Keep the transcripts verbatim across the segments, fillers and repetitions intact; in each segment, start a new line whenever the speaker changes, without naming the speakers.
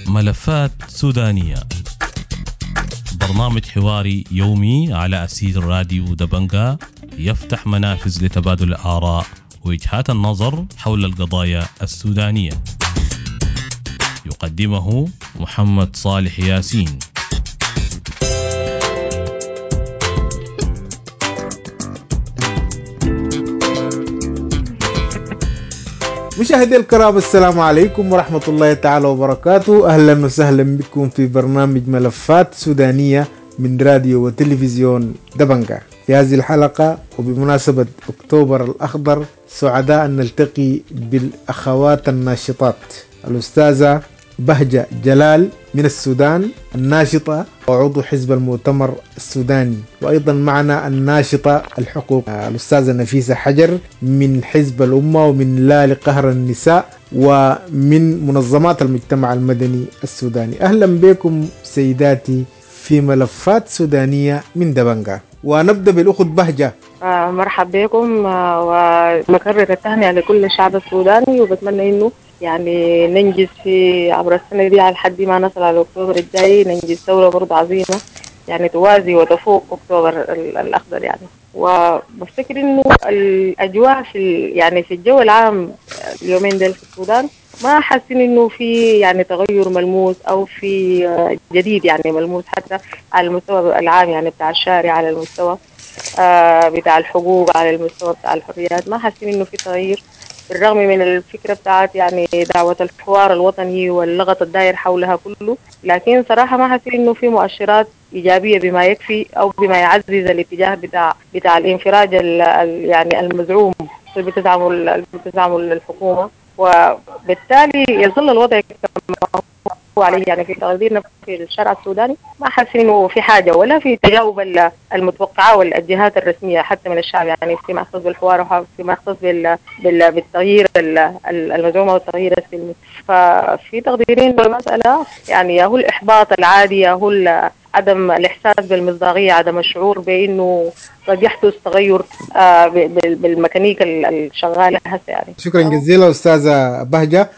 ملفات سودانية، برنامج حواري يومي على أسير راديو دبنجا، يفتح منافذ لتبادل الآراء ووجهات النظر حول القضايا السودانية. يقدمه محمد صالح ياسين.
مشاهدي الكرام، السلام عليكم ورحمة الله تعالى وبركاته. أهلا وسهلا بكم في برنامج ملفات سودانية من راديو وتلفزيون دبنجا. في هذه الحلقة وبمناسبة أكتوبر الأخضر، سعداء أن نلتقي بالأخوات الناشطات، الأستاذة بهجة جلال من السودان، الناشطة وعضو حزب المؤتمر السوداني، وأيضا معنا الناشطة الحقوق الأستاذة نفيسة حجر من حزب الأمة ومن لا لقهر النساء ومن منظمات المجتمع المدني السوداني. أهلا بكم سيداتي في ملفات سودانية من دبنجا، ونبدأ بالأخت بهجة.
آه مرحب بكم، آه وبكرر التهنئة لكل الشعب السوداني، وبتمنى إنه يعني ننجز في عبر السنة دي على حد ما نصل على أكتوبر الجاي، ننجز ثورة برضه عظيمة يعني توازي وتفوق أكتوبر الأخضر يعني. وبفتكر إنه الأجواء في يعني في الجو العام اليومين دول في السودان ما حاسين إنه في يعني تغير ملموس أو في جديد يعني ملموس، حتى على المستوى العام يعني بتاع الشارع، على المستوى آه بتاع الحقوق، على المستوى بتاع الحريات، ما حاسين إنه في تغيير، بالرغم من الفكرة بتاعت يعني دعوة الحوار الوطني واللغط الداير حولها كله، لكن صراحة ما حاسين إنه في مؤشرات إيجابية بما يكفي أو بما يعزز الاتجاه بتاع بتاع الانفراج ال يعني المزعوم اللي بتزعمه اللي بتزعمه الحكومة، وبالتالي يظل الوضع كما هو عليه. يعني في تقديرنا في الشارع السوداني ما حاسين إنه في حاجة ولا في تجاوب المتوقعة والجهات الرسمية حتى من الشعب، يعني فيما يختص بالحوار وفيما يختص بال... بال... بالتغيير المزعوم والتغيير السلمي. ففي تقديرين بالمسألة، يعني يا هو الإحباط العادي، يا هو عدم الإحساس بالمصداقية، عدم الشعور بأنه قد يحدث تغير آه بالميكانيكا الشغالة هسه يعني.
شكرا جزيلا أستاذة بهجة.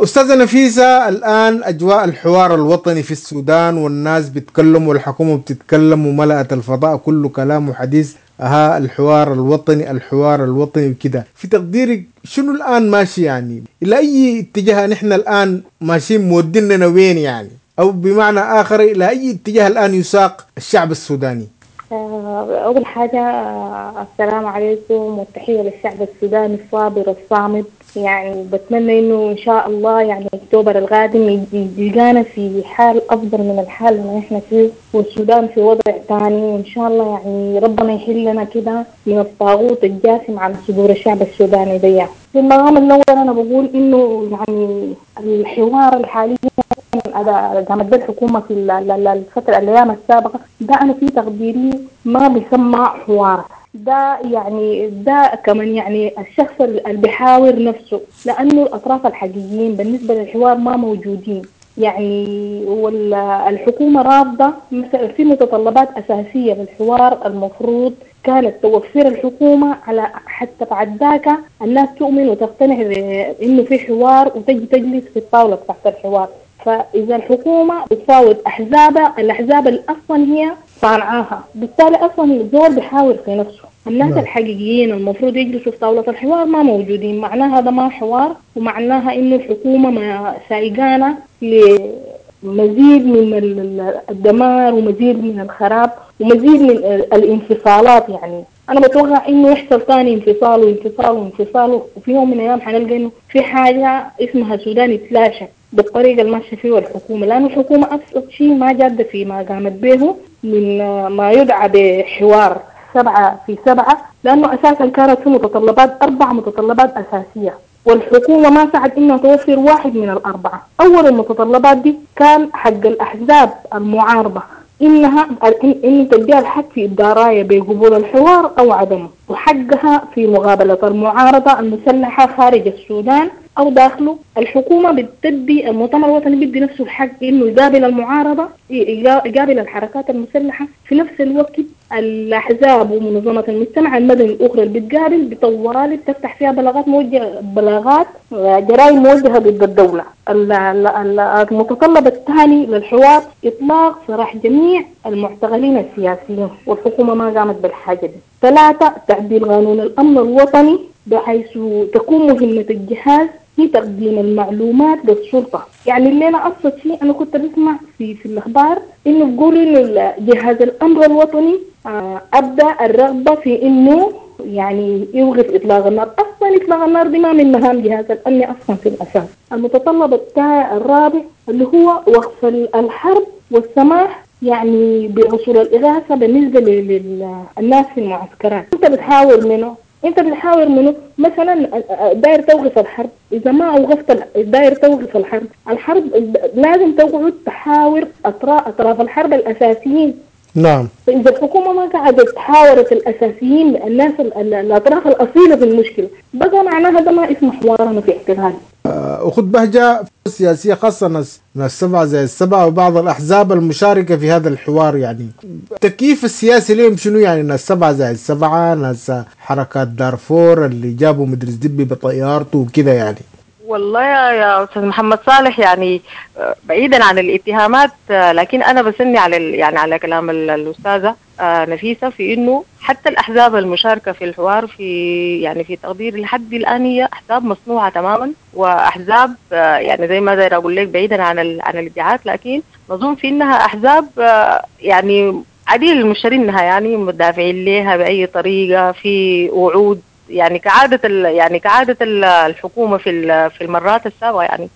أستاذة نفيسة، الآن أجواء الحوار الوطني في السودان والناس بتكلم والحكومة بتتكلم وملأت الفضاء كله كلام وحديث، ها الحوار الوطني الحوار الوطني وكده، في تقديرك شنو الآن ماشي يعني؟ إلى أي اتجاه نحن الآن ماشيين، موديننا وين يعني؟ أو بمعنى آخر إلى أي اتجاه الآن يساق الشعب السوداني؟
أول حاجة السلام عليكم والتحية للشعب السوداني الصابر الصامد. يعني بتمنى إنه إن شاء الله يعني أكتوبر القادم يلقانا في حال أفضل من الحال اللي إحنا فيه، والسودان في وضع ثاني، وإن شاء الله يعني ربنا يحلنا كده من الطاغوت الجاثم على صدور الشعب السوداني دي. في المقام الأول أنا بقول إنه يعني الحوار الحالي قامت به الحكومة في الفترة الأيام السابقة ده أنا في تقديري ما بيسمى حوار، ده يعني ده كمان يعني الشخص اللي بيحاور نفسه، لأنه الأطراف الحقيقيين بالنسبة للحوار ما موجودين يعني، والحكومة رافضة مثلا في متطلبات أساسية للحوار المفروض كانت توفر الحكومة على حتى بعد ذاك الناس تؤمن وتقتنع بأنه في حوار وتجي تجلس في الطاولة تحت الحوار. فإذا الحكومة بتفاوض أحزابها، الأحزاب اللي أصلا هي صانعاها، بالتالي أصلا الزول بيحاور في نفسه. الناس لا. الحقيقيين المفروض يجلسوا في طاولة الحوار ما موجودين، معناها هذا ما حوار، ومعناها إنه الحكومة ما سايقانا لمزيد من الدمار ومزيد من الخراب ومزيد من الانفصالات. يعني أنا بتوقع إنه يحصل ثاني انفصال وانفصال وانفصال، وفي يوم من الأيام حنلقى إنه في حاجة اسمها سودان يتلاشى بالطريقة اللي ماشية فيها الحكومة، لأن الحكومة أبسط شيء ما جادة في ما قامت به من ما يدعى بحوار سبعة في سبعة، لأنه أساسا كانت في متطلبات أربع متطلبات أساسية، والحكومة ما سعت إنها توفر واحد من الأربعة. أول المتطلبات دي كان حق الأحزاب المعارضة إنها إن تديها الحق في إبداء راية بقبول الحوار أو عدمه، وحقها في مقابلة المعارضة المسلحة خارج السودان أو داخله، الحكومة بتدي المؤتمر الوطني بيدي نفسه الحق إنه يقابل المعارضة، يقابل الحركات المسلحة. في نفس الوقت الأحزاب ومنظمات المجتمع المدني الأخرى اللي بتقابل بطوالي بتفتح فيها بلاغات موجهة، بلاغات جرائم موجهة ضد الدولة. المتطلب الثاني للحوار إطلاق سراح جميع المعتقلين السياسيين، والحكومة ما قامت بالحاجة دي. ثلاثة، تعديل قانون الأمن الوطني بحيث تكون مهمة الجهاز في تقديم المعلومات للسلطة. يعني اللي أنا أبسط شيء أنا كنت بسمع في في الأخبار إنه بيقولوا إنه جهاز الأمن الوطني أبدأ الرغبة في إنه يعني يوقف إطلاق النار. أصلا إطلاق النار دي ما من مهام جهاز الأمن أصلا في الأساس. المتطلب الرابع اللي هو وقف الحرب والسماح يعني بوصول الإغاثة بالنسبة للناس في المعسكرات. أنت بتحاور منه انت بتحاور منه مثلا داير توقف الحرب، اذا ما اوقفت داير توقف الحرب، الحرب لازم تقعد تحاور اطراف اطراف الحرب الاساسيين.
نعم.
فاذا الحكومة ما قعدت تحاورت الاساسيين الناس الاطراف الاصيلة في المشكلة، بقى معناها ده ما اسمه حوار. انا في اعتقادي
أخت بهجة السياسية خاصة ناس ناس سبعة زي السبعة وبعض الأحزاب المشاركة في هذا الحوار، يعني التكييف السياسي لهم شنو؟ يعني ناس سبعة زي السبعة، ناس حركات دارفور اللي جابوا مدرس دبي بطيارته وكذا يعني.
والله يا أستاذ محمد صالح، يعني بعيدا عن الاتهامات، لكن أنا بسني على يعني على كلام الأستاذة نفيسة في إنه حتى الأحزاب المشاركة في الحوار في يعني في تقدير لحد الآن هي أحزاب مصنوعة تماما، وأحزاب يعني زي ما داير أقول لك بعيدا عن عن الادعاءات، لكن نظن في إنها أحزاب يعني عديل المشترينها، يعني مدافعين لها بأي طريقة، في وعود يعني كعادة يعني كعادة الحكومة في في المرات السابقة، يعني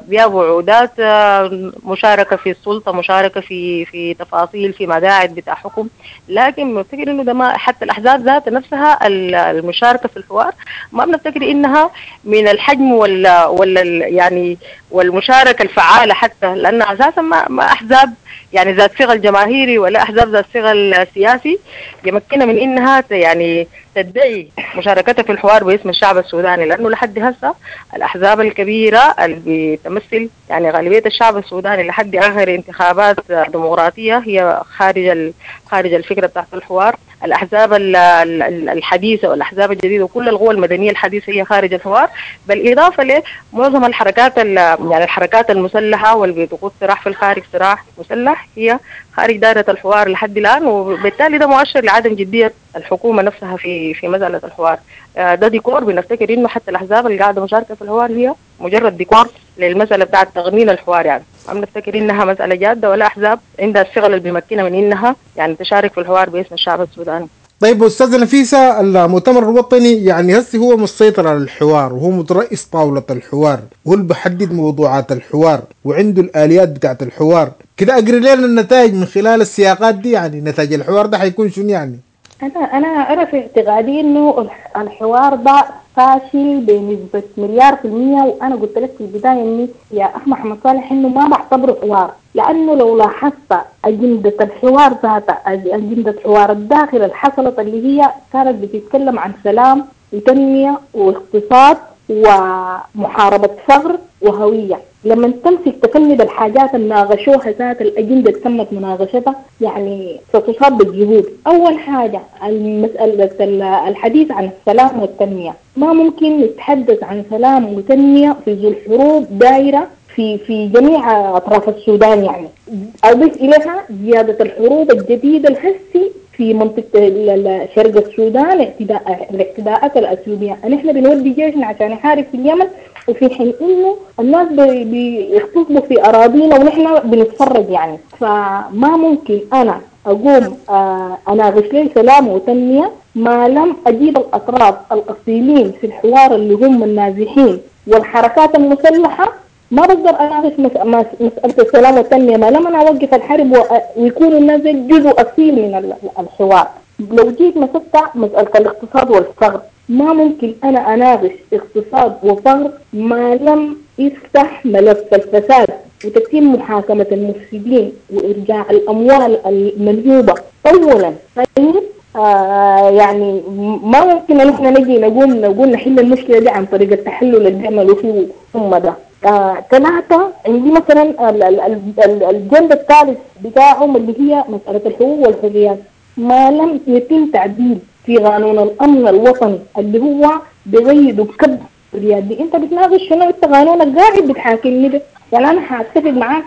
بيابوا وعودات مشاركة في السلطة، مشاركة في في تفاصيل في مقاعد بتاع حكم، لكن بنفتكر انه ده ما حتى الاحزاب ذات نفسها المشاركة في الحوار ما بنفتكر انها من الحجم ولا ولا يعني والمشاركة الفعالة حتى، لان اساسا ما, ما احزاب يعني ذات ثقل جماهيري ولا احزاب ذات ثقل سياسي يمكنها من انها يعني تدعي مشاركتها في الحوار باسم الشعب السوداني، لانه لحد هسه الاحزاب الكبيرة اللي بتمثل يعني غالبية الشعب السوداني لحد اخر انتخابات ديمقراطية هي خارج خارج الفكرة بتاعت الحوار. الاحزاب الحديثة والاحزاب الجديدة وكل القوى المدنية الحديثة هي خارج الحوار، بالاضافة لمعظم الحركات يعني الحركات المسلحة واللي بتقود صراع في الخارج صراع مسلح هي خارج دائرة الحوار لحد الان، وبالتالي ده مؤشر لعدم جدية الحكومة نفسها في في مسالة الحوار. ده ديكور، بنفتكر انه حتى الاحزاب اللي قاعدة مشاركة في الحوار هي مجرد ديكور للمسالة بتاعه تغنين الحوار، يعني ما بنفتكر انها مسالة جاده ولا احزاب عندها الثقل اللي بيمكنها من انها يعني تشارك في الحوار باسم الشعب السوداني.
طيب استاذه نفيسة، المؤتمر الوطني يعني هسه هو مسيطر على الحوار وهو مترأس طاولة الحوار وهو اللي بيحدد موضوعات الحوار وعنده الاليات بتاعت الحوار، كده اقري لنا النتائج من خلال السياقات دي، يعني نتائج الحوار ده حيكون شنو يعني؟
انا انا انا في اعتقادي انه الحوار ده فاشل بنسبة مليار في المية، وانا قلت لك في البداية اني يا اخ محمد صالح انه ما بعتبره حوار، لانه لو لاحظت اجندة الحوار ذاتها، اجندة حوار الداخل اللي حصلت اللي هي كانت بتتكلم عن سلام وتنميه واقتصاد ومحاربه فقر وهويه، لما تمسك تفند الحاجات اللي ناقشوها ذات الأجندة اللي تمت مناقشتها يعني ستصاب بالجهود. أول حاجة المسألة الحديث عن السلام والتنمية، ما ممكن نتحدث عن سلام وتنمية في ظل حروب دايرة في في جميع أطراف السودان، يعني أضيف إليها زيادة الحروب الجديدة الهسي في منطقة شرق السودان، اعتداء الاعتداءات الأثيوبية، نحن بنودي جيشنا عشان يحارب في اليمن، وفي حين إنه الناس بيغتصبوا في أراضينا ونحن بنتفرج يعني. فما ممكن أنا أقوم أناقش لي سلام وتنمية ما لم أجيب الأطراف الأصيلين في الحوار اللي هم النازحين والحركات المسلحة. ما بقدر أناقش مسألة السلام والتنمية ما لم أنا أوقف الحرب ويكون الناس جزء أصيل من الحوار. لو جيت مسكت مسألة الاقتصاد والفقر، ما ممكن أنا أناقش اقتصاد وفقر ما لم يفتح ملف الفساد وتتم محاكمة المفسدين وإرجاع الأموال المنهوبة أولا. طيب آه يعني ما ممكن نحن نجي نقوم نقول نحل المشكلة دي عن طريق التحلل اللي بيعملوا فيه هم ده. آه ثلاثة عندي مثلا الجنب الثالث بتاعهم اللي هي مسألة الحقوق والحريات، ما لم يتم تعديل في قانون الأمن الوطني اللي هو بغيد وبكب الحريات دي، انت بتناقش شنو؟ انت قانونك قاعد بتحاكمني ده، يعني انا حاتفق معاك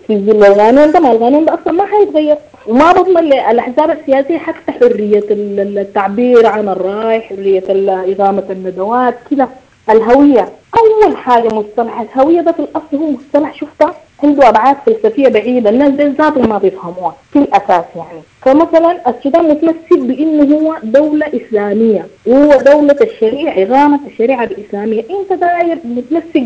في ظل القانون ده، ما القانون ده اصلا ما حيتغير، وما بضمن للاحزاب السياسية حتى حرية التعبير عن الراي، حرية اقامه الندوات كده. الهوية اول حاجة، مصطلح الهوية ده في الاصل هو مصطلح شفته عنده ابعاد فلسفية بعيدة، الناس دي ذاتهم ما بيفهموها في الاساس يعني. فمثلا السودان متمسك بانه هو دولة اسلامية، وهو دولة الشريعة، اقامه الشريعة الاسلامية، انت داير متمسك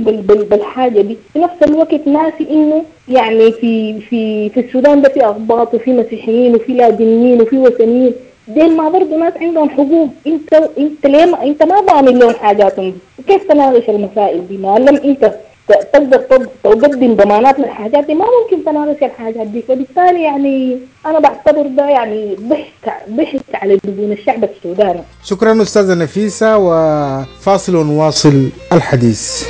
بالحاجة دي، في نفس الوقت ناسي انه يعني في في في السودان ده في اقباط وفي مسيحيين وفي لاجئين وفي وثنيين، ديل ما برضه ناس عندهم حقوق، انت انت ليه ما انت ما ضامن لهم حاجاتهم دي؟ كيف تناقش المسائل دي؟ ما لم انت تقدر تقدم ضمانات للحاجات دي ما ممكن تناقش الحاجات دي. فبالتالي يعني انا بعتبر ده يعني ضحك ضحك على دجون الشعب السوداني.
شكرا استاذه نفيسة، وفاصل ونواصل الحديث.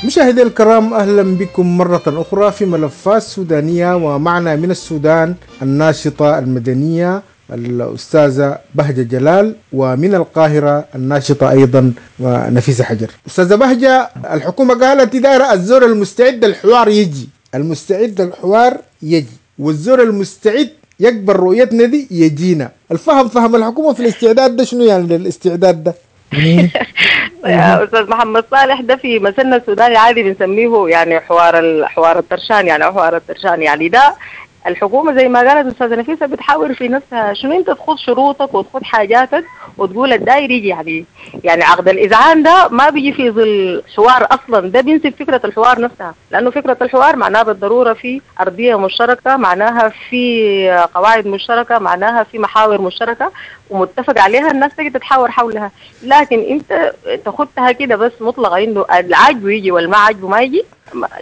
مشاهدي الكرام، أهلا بكم مرة أخرى في ملفات سودانية، ومعنا من السودان الناشطة المدنية الأستاذة بهجة جلال، ومن القاهرة الناشطة أيضا نفيسة حجر. أستاذة بهجة، الحكومة قالت إدارة الزور المستعد الحوار يجي، المستعد الحوار يجي، والزور المستعد يكبر رؤيتنا دي يجينا. الفهم فهم الحكومة في الاستعداد ده شنو يعني للاستعداد ده؟
يا أستاذ محمد صالح، ده في مثلنا السوداني عادي بنسميه يعني حوار حوار الترشان، يعني حوار الترشان يعني ده الحكومة زي ما قالت أستاذة نفيسة بتحاور في نفسها شنو أنت تخوض شروطك وتخوض حاجاتك وتقول الداير يجي، يعني يعني عقد الإذعان ده ما بيجي في ظل حوار أصلا، ده بينسب فكرة الحوار نفسها، لأنه فكرة الحوار معناها بالضرورة في أرضية مشتركة، معناها في قواعد مشتركة، معناها في محاور مشتركة ومتفق عليها الناس تجي تتحاور حولها. لكن أنت تاخدها كده بس مطلقة إنه العاجبه يجي والما عاجبه ما يجي،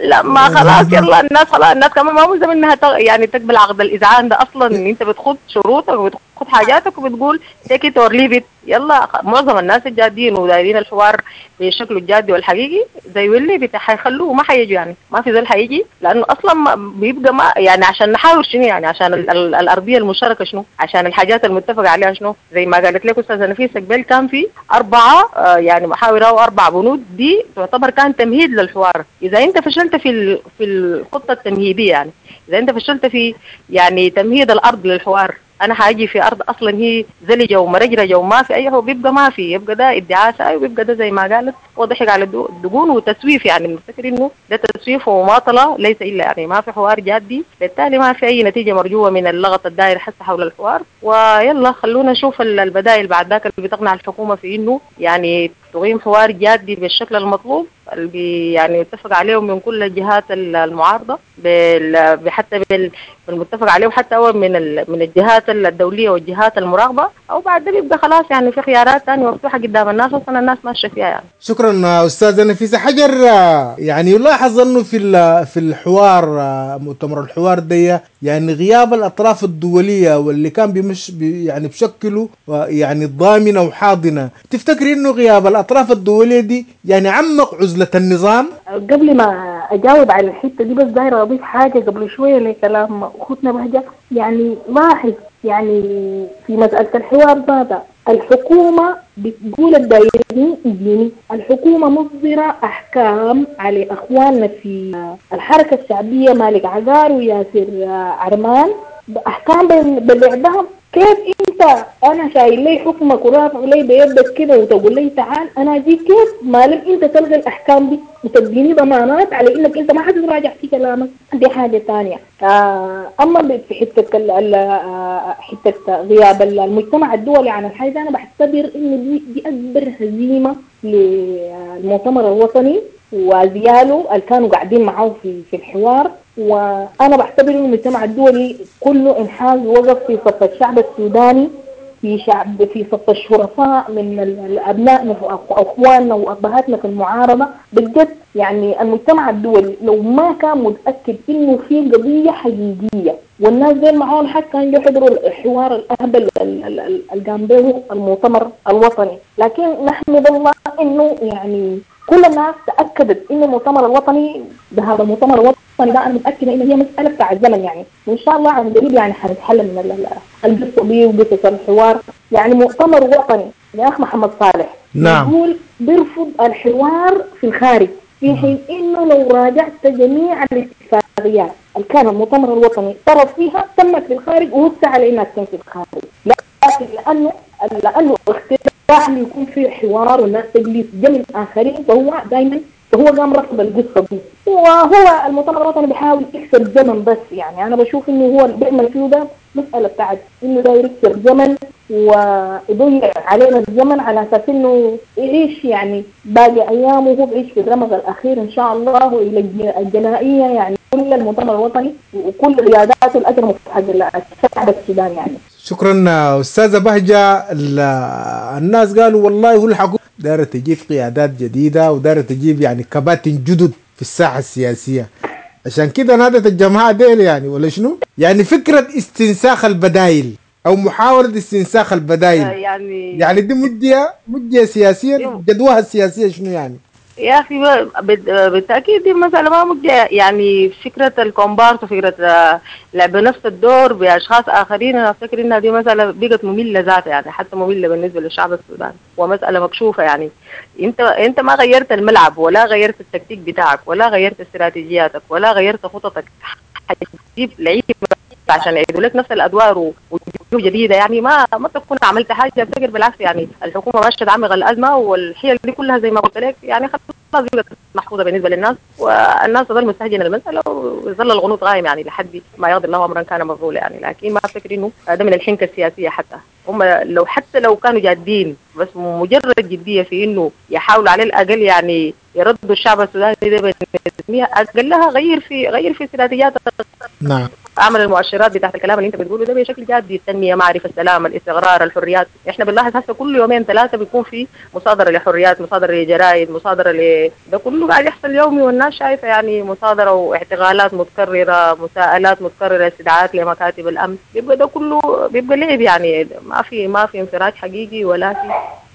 لا ما خلاص يلا الناس خلاص الناس كمان ما ملزم انها يعني تقبل عقد الاذعان ده اصلا، ان انت بتخوض شروطك وبتخوض حاجاتك وبتقول take it or leave it. يلا معظم الناس الجادين ودايرين الحوار بشكله الجادي والحقيقي زي واللي بتاع حيخلوه ما حيجوا، يعني ما في زول حيجي، لانه اصلا ما بيبقى ما يعني عشان نحاور شنو، يعني عشان ال ال الارضية المشتركة شنو، عشان الحاجات المتفق عليها شنو. زي ما قالت لك استاذه نفيسة قبل كان في اربعة آه يعني محاور او اربع بنود، دي تعتبر كان تمهيد للحوار. اذا انت فشلت في في الخطة التمهيدية، يعني اذا انت فشلت في يعني تمهيد الارض للحوار، انا حاجي في ارض اصلا هي زلجه ومرجرجه وما في اي، هو بيبقى ما في، يبقى ده ادعاء ساي، وبيبقى ده زي ما قالت وضحك على الدقون وتسويف، يعني بنفتكر انه ده تسويف ومماطله ليس الا، يعني ما في حوار جادي، بالتالي ما في اي نتيجة مرجوه من اللغط الدائر حتى حول الحوار. ويلا خلونا نشوف البدائل بعد ذاك اللي بتقنع الحكومة في انه يعني تقيم حوار جادي بالشكل المطلوب اللي يعني اتفق عليه من كل الجهات المعارضة، بال حتى بالمتفق عليه حتى هو من من الجهات الدولية والجهات المراقبة، او بعد ده بيبقى خلاص يعني في خيارات ثانية مفتوحة قدام الناس اصلا الناس ماشية فيها يعني.
شكرا استاذه نفيسة حجر. يعني يلاحظ انه في في الحوار، مؤتمر الحوار دي، يعني غياب الاطراف الدولية واللي كان بيمش بي يعني بشكلوا يعني ضامنه وحاضنه، تفتكري انه غياب الاطراف الدولية دي يعني عمق عزله النظام؟
قبل ما اجاوب على الحتة دي بس دايرة اضيف حاجة قبل شوية لكلام اختنا بهجة. يعني لاحظ يعني في مسالة الحوار ذاتها الحكومة بتقول الدايرين يجيني، الحكومة مصدره احكام على اخواننا في الحركة الشعبية مالك عقار وياسر عرمان، احكام بالاعدام. كيف انت انا شايل لي حكمك ورافع لي بيدك كده وتقول لي تعال انا اجيك؟ كيف ما لم انت تلغي الاحكام دي وتديني ضمانات على انك انت ما حتتراجع في كلامك؟ دي حاجة ثانية. آه اما في حتة حتة غياب المجتمع الدولي عن الحاجة، انا بعتبر انه دي دي اكبر هزيمة للمؤتمر الوطني وزياله اللي كانوا قاعدين معاه في في الحوار. وانا بعتبر انه المجتمع الدولي كله انحاز وقف في صف الشعب السوداني، في شعب في صف الشرفاء من الابناء واخواننا وابهاتنا في المعارضة. بالجد يعني المجتمع الدولي لو ما كان متاكد انه في قضية حقيقية والناس دول معاهم حق كانوا يحضروا الحوار الاهبل اللي قام به المؤتمر الوطني. لكن نحمد الله انه يعني كل الناس تاكدت انه المؤتمر الوطني ده، هذا المؤتمر الوطني ده انا متاكدة انه هي مسالة بتاع الزمن يعني، وان شاء الله عن قريب يعني حنتحل من القصة دي وقصة الحوار. يعني مؤتمر وطني يا اخ محمد صالح، نعم، يقول بيرفض الحوار في الخارج، في حين انه لو راجعت جميع الاتفاقيات اللي كان المؤتمر الوطني طرف فيها تمت في الخارج ووسع على انها تتم في الخارج، لكن لانه لانه اختراع انه يكون في حوار والناس تجلس جنب الاخرين، فهو دائما فهو قام رفض القصة دي. وهو المؤتمر الوطني بيحاول يكسب زمن بس، يعني انا بشوف انه هو اللي بيعمل فيه ده مسالة بتاعت انه داير يكسب زمن ويضيع علينا الزمن على اساس انه يعيش يعني باقي ايامه وهو بيعيش في الرمق الاخير ان شاء الله والى الجنائية. يعني كل المؤتمر الوطني وكل قياداته الاجر حق الشعب السوداني يعني.
شكرا استاذه بهجة. الناس قالوا والله هو الحكومة دايرة تجيب قيادات جديدة ودايره تجيب يعني كباتن جدد في الساحة السياسية، عشان كده نادت الجماعة ديل يعني ولا شنو؟ يعني فكرة استنساخ البدايل او محاولة استنساخ البدايل
يعني
يعني دي مجدية مجدية سياسيا، جدواها السياسية شنو يعني؟
يا اخي بالتاكيد دي مسالة ما مجدية. يعني فكرة الكومبارس وفكره لعب نفس الدور باشخاص اخرين، انا افتكر انها دي مسالة بقت مملة ذاتها يعني، حتى مملة بالنسبة للشعب السوداني ومسالة مكشوفة. يعني انت انت ما غيرت الملعب ولا غيرت التكتيك بتاعك ولا غيرت استراتيجياتك ولا غيرت خططك، حتجيب لعيبة عشان يعيدوا لك نفس الادوار وجوه جديدة يعني ما ما تكون عملت حاجة. افتكر بالعكس يعني الحكومة ماشية تعمق الازمة والحيل دي كلها زي ما قلت لك يعني خلاص بقت محفوظة بالنسبة للناس، والناس تظل مستهجنه المسالة ويظل الغنوط غايم يعني لحد ما يقضي الله امرا كان مفعولا يعني. لكن ما افتكر انه ده من الحنكه السياسية، حتى هم لو حتى لو كانوا جادين بس مجرد جدية في انه يحاولوا على الاقل يعني يردوا الشعب السوداني ده بالنسبة اقلها غير في غير في استراتيجيات،
نعم،
اعمل المؤشرات بتاعت الكلام اللي انت بتقوله ده بشكل جادي، التنمية، معرفة، السلام، الاستقرار، الحريات. احنا بنلاحظ هسه كل يومين ثلاثة بيكون في مصادره لحريات، مصادره لجرائد، مصادره ل ده كله قاعد يحصل يومي والناس شايفه يعني مصادره واعتقالات متكررة، مساءلات متكررة، استدعاءات لمكاتب الامن، بيبقى ده كله بيبقى لعب يعني، ما في ما في انفراج حقيقي ولا في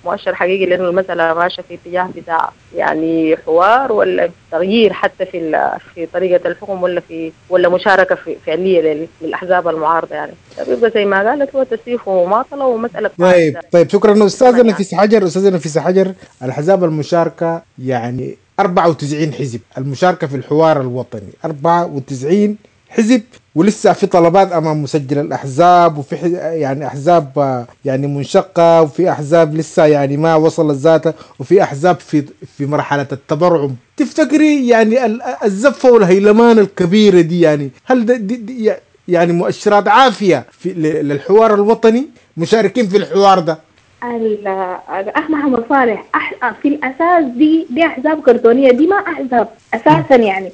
مؤشر حقيقي، لانه المسالة ماشية في اتجاه بتاع يعني حوار ولا تغيير حتى في في طريقه الحكم ولا في ولا مشاركة في فعليه للاحزاب المعارضة يعني. بيبقى زي ما قالت هو تسييف ومماطله ومسالة.
طيب طيب شكرا استاذه نفيسة حجر. استاذه نفيسة حجر، الاحزاب المشاركة يعني أربعة وتسعين حزب المشاركة في الحوار الوطني، أربعة وتسعين حزب، ولسه في طلبات امام مسجل الاحزاب، وفي يعني احزاب يعني منشقه، وفي احزاب لسه يعني ما وصلت ذاتها، وفي احزاب في في مرحلة التبرعم. تفتكري يعني الزفه والهيلمان الكبيرة دي يعني هل دي دي يعني مؤشرات عافية في للحوار الوطني مشاركين في الحوار ده؟
الأخ محمد صالح أح... في الأساس دي دي أحزاب كرتونية، دي ما أحزاب أساسا يعني.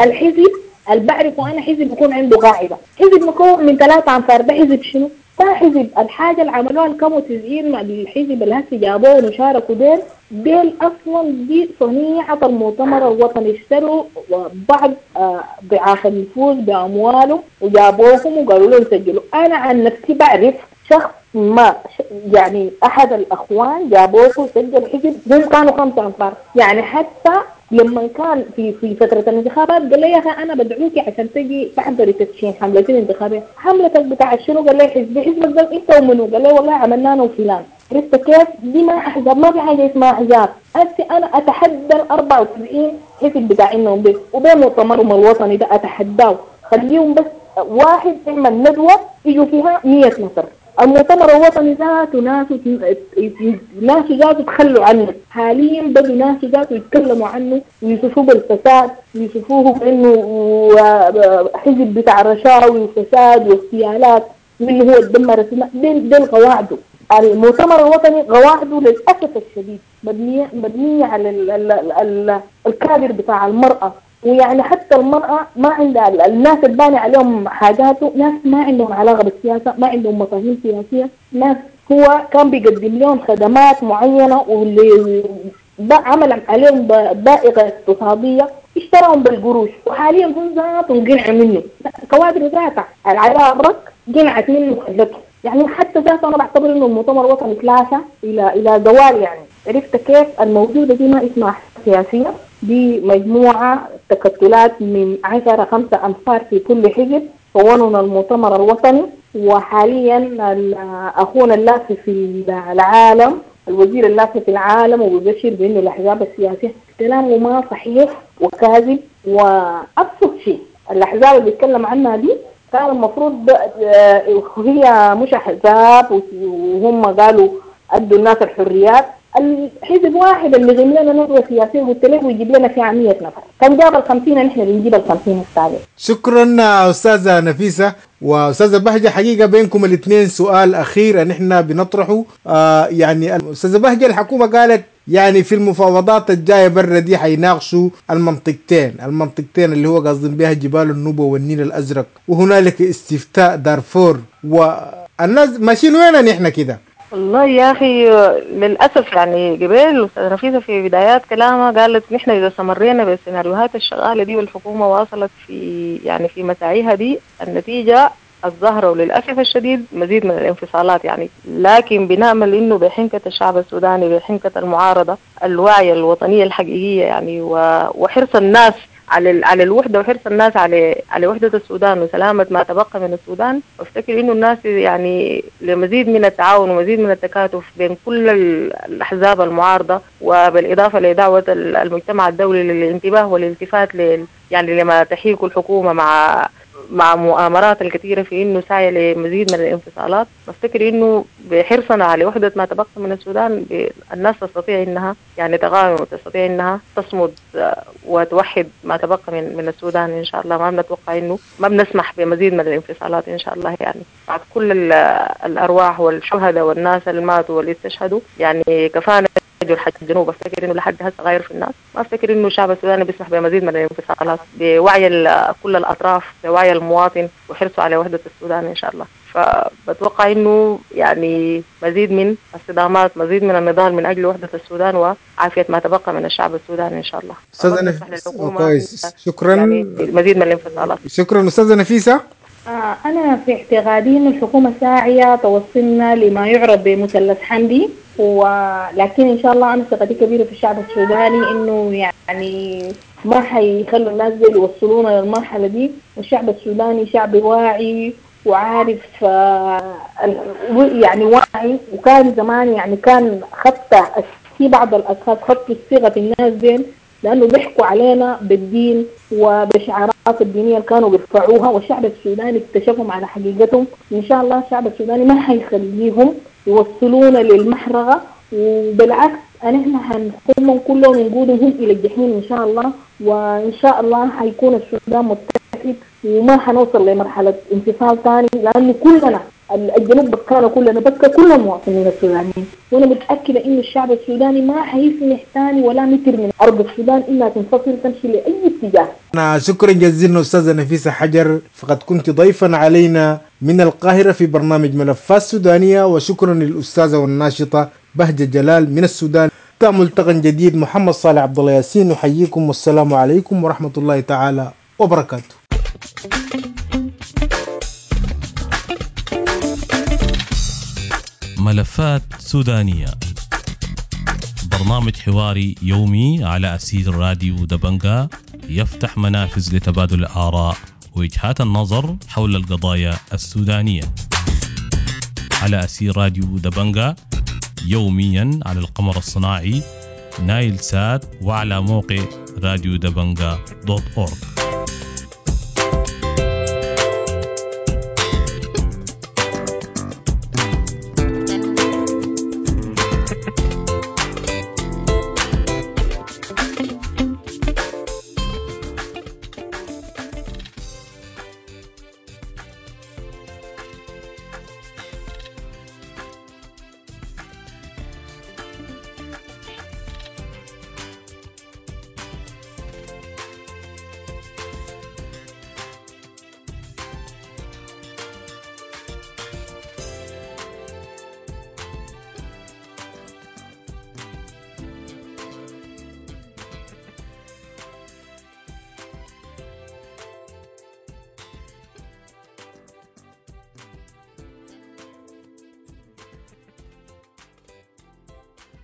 الحزب اللي بعرفه أنا حزب يكون عنده قاعدة، حزب مكون من ثلاثة أنفار، ده حزب شنو؟ ما حزب. الحاجة اللي عملوها الكم وتسعين مع الحزب اللي هسه جابوه وشاركوا ديل ديل أصلا دي صنيعة المؤتمر الوطني، اشتروا بعض ضعاف النفوذ بأموالهم وجابوهم وقالوا لهم سجلوا. أنا عن نفسي بعرف شخص ما يعني أحد الأخوان جابوه وسجل حزب، هم كانوا خمسة أنفار يعني. حتى لما كان في في فترة الانتخابات قال لي يا أخي أنا بدعوكي عشان تجي تحضري تدشين حملتي الانتخابية، حملتك بتاع شنو؟ قال لي حزب. حزبك ده أنت ومنو؟ قال لي والله عملنا أنا وفلان. عرفت كيف؟ دي ما أحزاب، ما في حاجة اسمها أحزاب. هسي أنا أتحدى ال أربعة وتسعين حزب بتاع إنهم بس وبين مؤتمرهم الوطني ده أتحداه، خليهم بس واحد يعمل ندوة يجوا فيها مية نفر. المؤتمر الوطني ذاته ناس ناس ذاته تخلوا عنه، حاليا بدوا ناس ذاته يتكلموا عنه ويصفوه بالفساد ويصفوه بانه حزب بتاع رشاوي وفساد واغتيالات وانه هو دمر السودان. ديل ديل قواعده. المؤتمر الوطني قواعده للاسف الشديد مبنية مبنية على ال ال ال الكادر بتاع المراة، ويعني حتى المرأة ما عندها الناس الباني عليهم حاجاته، ناس ما عندهم علاقة بالسياسة، ما عندهم مفاهيم سياسية، ناس هو كان بيقدم لهم خدمات معينة واللي عمل عليهم بائقة اقتصادية اشتراهم بالقروش، وحاليا هم ذاتهم قنعوا منه، كوادر ذاتها العراق قنعت منه وخلته. يعني حتى ذاته أنا بعتبر إنه المؤتمر الوطني تلاشى إلى إلى زوال يعني. عرفت كيف؟ الموجودة دي ما اسمها سياسية، دي مجموعة تكتلات من عشرة خمسة أنفار في كل حزب كونوا المؤتمر الوطني. وحاليا أخونا اللافي في العالم، الوزير اللافي في العالم، وبيبشر بأنه الأحزاب السياسية كلامه ما صحيح وكاذب. وأبسط شيء الأحزاب اللي بيتكلم عنها دي كان المفروض هي مش أحزاب، وهم قالوا أدوا الناس الحريات. الحزب واحد اللي غيم لنا ندوة سياسية قلت له ويجيب لنا فيها مية نفر، كان جاب الخمسين نحن بنجيب الخمسين السابق.
شكرا أستاذة نفيسة وأستاذة بهجة. حقيقة بينكم الاثنين سؤال أخير نحن بنطرحه. آه يعني أستاذة بهجة، الحكومة قالت يعني في المفاوضات الجاية برا دي حيناقشوا المنطقتين، المنطقتين اللي هو قاصدين بها جبال النوبة والنيل الأزرق، وهنالك استفتاء دارفور، والناس ماشيين وين نحن كده؟
والله يا أخي للأسف يعني قبل أستاذ نفيسة في بدايات كلامها قالت نحن إذا استمرينا بالسيناريوهات الشغالة دي والحكومة واصلت في يعني في مساعيها دي، النتيجة الظاهرة وللأسف الشديد مزيد من الانفصالات يعني. لكن بنأمل إنه بحنكة الشعب السوداني، بحنكة المعارضة الواعية الوطنية الحقيقية يعني، وحرص الناس على على الوحدة وحرص الناس على على وحده السودان وسلامه ما تبقى من السودان، وافتكر انه الناس يعني لمزيد من التعاون ومزيد من التكاتف بين كل الاحزاب المعارضة، وبالاضافة لدعوة المجتمع الدولي للانتباه والالتفات ل يعني لما تحيك الحكومة مع مع مؤامرات الكثيرة في انه سعي لمزيد من الانفصالات. بفتكر انه بحرصنا على وحده ما تبقى من السودان الناس تستطيع انها يعني تقاوم وتستطيع انها تصمد وتوحد ما تبقى من من السودان ان شاء الله. ما بنتوقع انه ما بنسمح بمزيد من الانفصالات ان شاء الله يعني بعد كل الارواح والشهداء والناس اللي ماتوا واللي استشهدوا يعني كفانا جرح الجنوب. افتكر انه لحد هسه غير في الناس، ما افتكر انه الشعب السوداني بيسمح بمزيد من الانفصالات، بوعي كل الاطراف، بوعي المواطن وحرصه على وحده السودان ان شاء الله. فبتوقع انه يعني مزيد من الصدامات، مزيد من النضال من اجل وحده السودان وعافيه ما تبقى من الشعب السوداني ان شاء الله.
استاذه نفيسة كويس، شكرا.
يعني مزيد من الانفصالات.
شكرا استاذه نفيسة.
آه أنا في اعتقادي أن الحكومة ساعية توصلنا لما يعرف بمثلث حمدي، ولكن إن شاء الله أنا ثقتي كبيرة في الشعب السوداني إنه يعني ما حيخلوا الناس دي يوصلونا للمرحلة دي. والشعب السوداني شعب واعي وعارف آه يعني واعي، وكان زمان يعني كان خط في بعض الأشخاص خطوا الصيغة في الناس دي لأنه بيحكوا علينا بالدين وبشعارات الدينية اللي كانوا بيرفعوها، والشعب السوداني اكتشفهم على حقيقتهم. إن شاء الله الشعب السوداني ما حيخليهم يوصلونا للمحرقة، وبالعكس نحن حنقومهم كلهم ونقودهم إلى الجحيم إن شاء الله. وإن شاء الله حيكون السودان متحد وما حنوصل لمرحلة انفصال ثاني، لأنه كلنا الجنوب بكانا كلنا، بكى كل المواطنين السودانيين، وانا متاكدة انه الشعب السوداني ما حيسمح ثاني ولا متر من ارض السودان انها تنفصل تمشي لاي اتجاه.
أنا شكرا جزيلا أستاذة نفيسة حجر، فقد كنت ضيفا علينا من القاهرة في برنامج ملفات سودانية، وشكرا للأستاذة والناشطة بهجة جلال من السودان. ملتقى جديد، محمد صالح عبد الله ياسين نحييكم، والسلام عليكم ورحمة الله تعالى وبركاته.
ملفات سودانية، برنامج حواري يومي على أثير راديو دبنجا، يفتح منافذ لتبادل الآراء ووجهات النظر حول القضايا السودانية على أثير راديو دبنجا، يوميا على القمر الصناعي نايل سات وعلى موقع راديو دبنجا دوت أورج.